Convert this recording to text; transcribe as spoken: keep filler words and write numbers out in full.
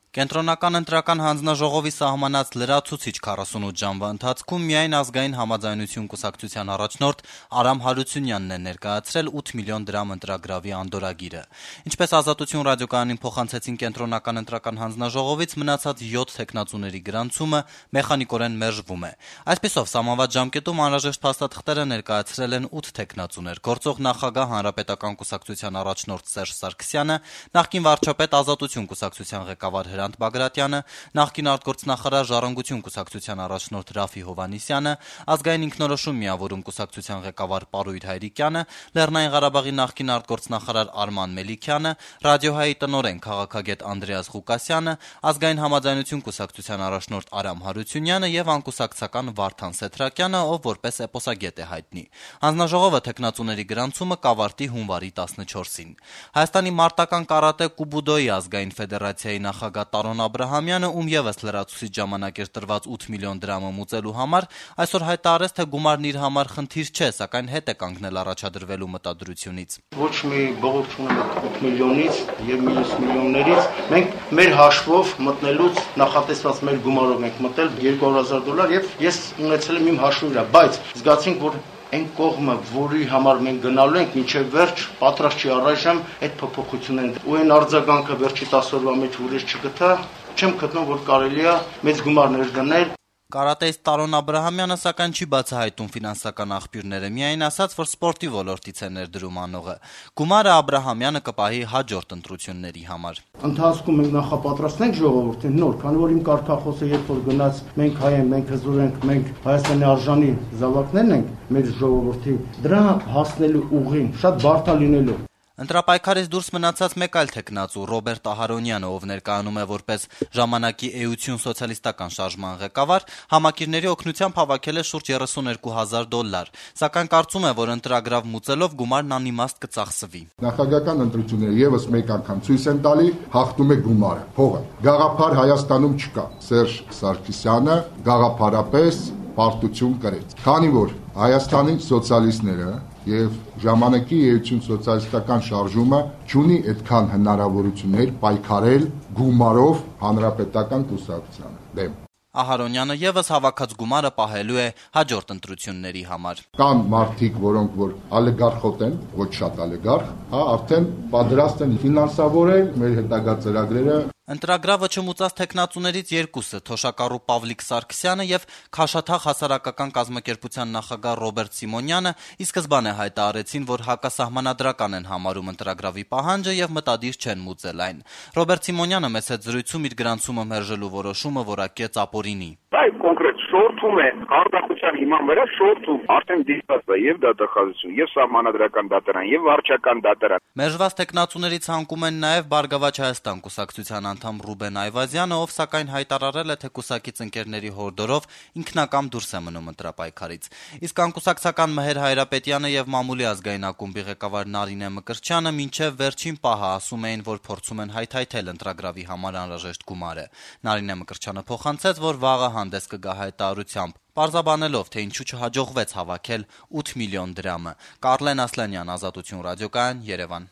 Կենտրոնական ընտրական հանձնաժողովի սահմանած լրացուցիչ քառասունութ ժամվա ընթացքում միայն ազգային համաձայնություն կուսակցության առաջնորդ Արամ Հարությունյանն է ներկայացրել ութ միլիոն դրամ ընտրագրավի անդորրագիրը։ Ինչպես Ազատություն ռադիոկայանին փոխանցեցին կենտրոնական ընտրական հանձնաժողովից, մնացած յոթ թեկնածուների գրանցումը մեխանիկորեն մերժվում է։ Այսպիսով, սահմանված ժամկետում անհրաժեշտ փաստաթղթերը ներկայացրել են ութ թեկնածուներ՝ գործող նախագահ Հանրապետական կուսակցության առաջնորդ Սերժ Սարգսյանը, նախկին վարչապետ Ազատություն կուսակցության ղեկավար Հրանտ Բագրատյանը, նախկին արտգործնախարար Ժառանգություն կուսակցության առաջնորդ Ռաֆի Հովհաննիսյանը, Ազգային ինքնորոշում միավորում կուսակցության ղեկավար Պարույր Հայրիկյանը, Լեռնային Ղարաբաղի նախկին արտգործնախարար Արման Մելիքյանը, Ռադիոհայի տնօրեն քաղաքագետ Անդրեաս Ղուկասյանը, Ազգային համաձայնություն կուսակցության առաջնորդ Արամ Հարությունյանը եւ անկուսակցական Վարդան Սեթրակյանը, ով որպես էպոսագետ է հայտնի։ Հանձնաժողովը թեկնածուների գրանցումը կավարտի հունվարի տասնչորսին։ Հայաստանի մարտական կարատե կուբուդոյի ազգային ֆեդերացիայի նախագահ Տարոն Աբրահամյանը, ում եւս լրացուցիչ ժամանակ էր տրված ութ միլիոն դրամը մուծելու համար, այսօր հայտարարեց, թե գումարն իր համար խնդիր չէ, սակայն հետ է կանգնել առաջադրվելու մտադրությունից։ Ոչ մի բողոք չունենք ութ միլիոնից եւ մյուս միլիոններից, մենք մեր հաշվով մտնելուց նախատեսված մեր գումարով ենք մտել երկու հազար դոլար եւ ես ունեցել եմ իմ հաշվի վրա, բայց զգացինք, որ այն կողմը, որի համար մենք գնալու ենք, մինչև վերջ պատրաստ չի առայժմ այդ փոփոխությունն ու այն արձագանքը վերջի տասը օրվա մեջ ուրիշ չգտա, չեմ գտնում, որ կարելի է մեծ գումարներ դնել։ Կարատեիստ Տարոն Աբրահամյանը սակայն չի բացահայտում ֆինանսական աղբյուրները, միայն ասաց, որ սպորտի ոլորտից է ներդրում անողը։ Գումարը Աբրահամյանը կպահի հաջորդ ընտրությունների համար։ Ընթացքում մենք նախապատրաստենք ժողովրդին նոր, քանի որ իմ կարգախոսը երբ որ գնաց մենք հայ ենք, մենք հզոր ենք, մենք Հայաստանի արժանի զավակներն ենք, մեր ժողովրդի, դրա հասնելու ուղին շատ բարդ է լինելու։ Ընտրապայքարից դուրս մնացած մեկ այլ թեկնածու Ռոբերտ Ահարոնյանը, ով ներկայանում է որպես ժամանակի էություն սոցիալիստական շարժման ղեկավար, համակիրների օգնությամբ հավաքել է շուրջ երեսունյոթ հազար դոլար, սակայն կարծում է, որ ընտրագրավ մուծելով գումարն անիմաստ կծախսվի։ Նախագահական ընտրությունները եւս մեկ անգամ ցույց են տալի, հաղթում է գումարը, փողը։ Գաղափար Հայաստանում չկա։ Սերժ Սարգսյանը գաղափարապես պարտություն կրեց, քանի որ Հայաստանի սոցիալիստները եւ ժամանակի էություն սոցիալիստական շարժումը չունի այդքան հնարավորություններ պայքարել գումարով հանրապետական կուսակցության դեմ։ Ահարոնյանը եւս հավաքած գումարը պահելու է հաջորդ ընտրությունների համար։ Կան մարդիկ, որոնք որ ալեգարխոտ են, ոչ շատ ալեգարխ, հա, արդեն պատրաստ են ֆինանսավորել մեր հետագա ծրագրերը։ Ընտրագրավը չմուծած թեկնածուներից երկուսը՝ թոշակառու Պավլիկ Սարգսյանը եւ Քաշաթաղ հասարակական կազմակերպության նախագահ Ռոբերտ Սիմոնյանը ի սկզբանե հայտարարեցին, որ հակասահմանադրական են համարում ընտրագրավի պահանջը եւ մտադիր չեն մուծել այն։ Ռոբերտ Սիմոնյանը մեծ հետ զրույցում իր գրանցումը մերժելու որոշումը որակեց ապօրինի։ Այ կոնկրետ շորթում է արտադրության հիման վրա շորթում արդեն դիտված է եւ դատախազություն, եւ սահմանադրական դատարան, եւ վարչական դատարան։ Մերժված թեկնածուներից հանգում են նաեւ Բարգավաճ Հայաստան կուսակցության անդամ Ռուբեն Այվազյանը, ով սակայն հայտարարել է, թե կուսակից ընկերների հորդորով ինքնակամ դուրս է մնում ընտրապայքարից։ Իսկ անկուսակցական Մհեր Հայրապետյանը եւ Մամուլի ազգային ակումբի ղեկավար Նարինե Մկրտչյանը մինչեւ վերջին պահը ասում էին, որ փորձում են հայթայթել ընտրագրավի համար անհրաժեշտ գումարը։ Նարինե Մկրտչյանը փոխանցեց, որ վաղը հանդես կգա հայտարարությամբ, պարզաբանելով, թե ինչու չհաջողվեց հավաքել ութ միլիոն դրամը։ Կարլեն Ասլանյան, Ազատություն ռադիոկայան, Երևան։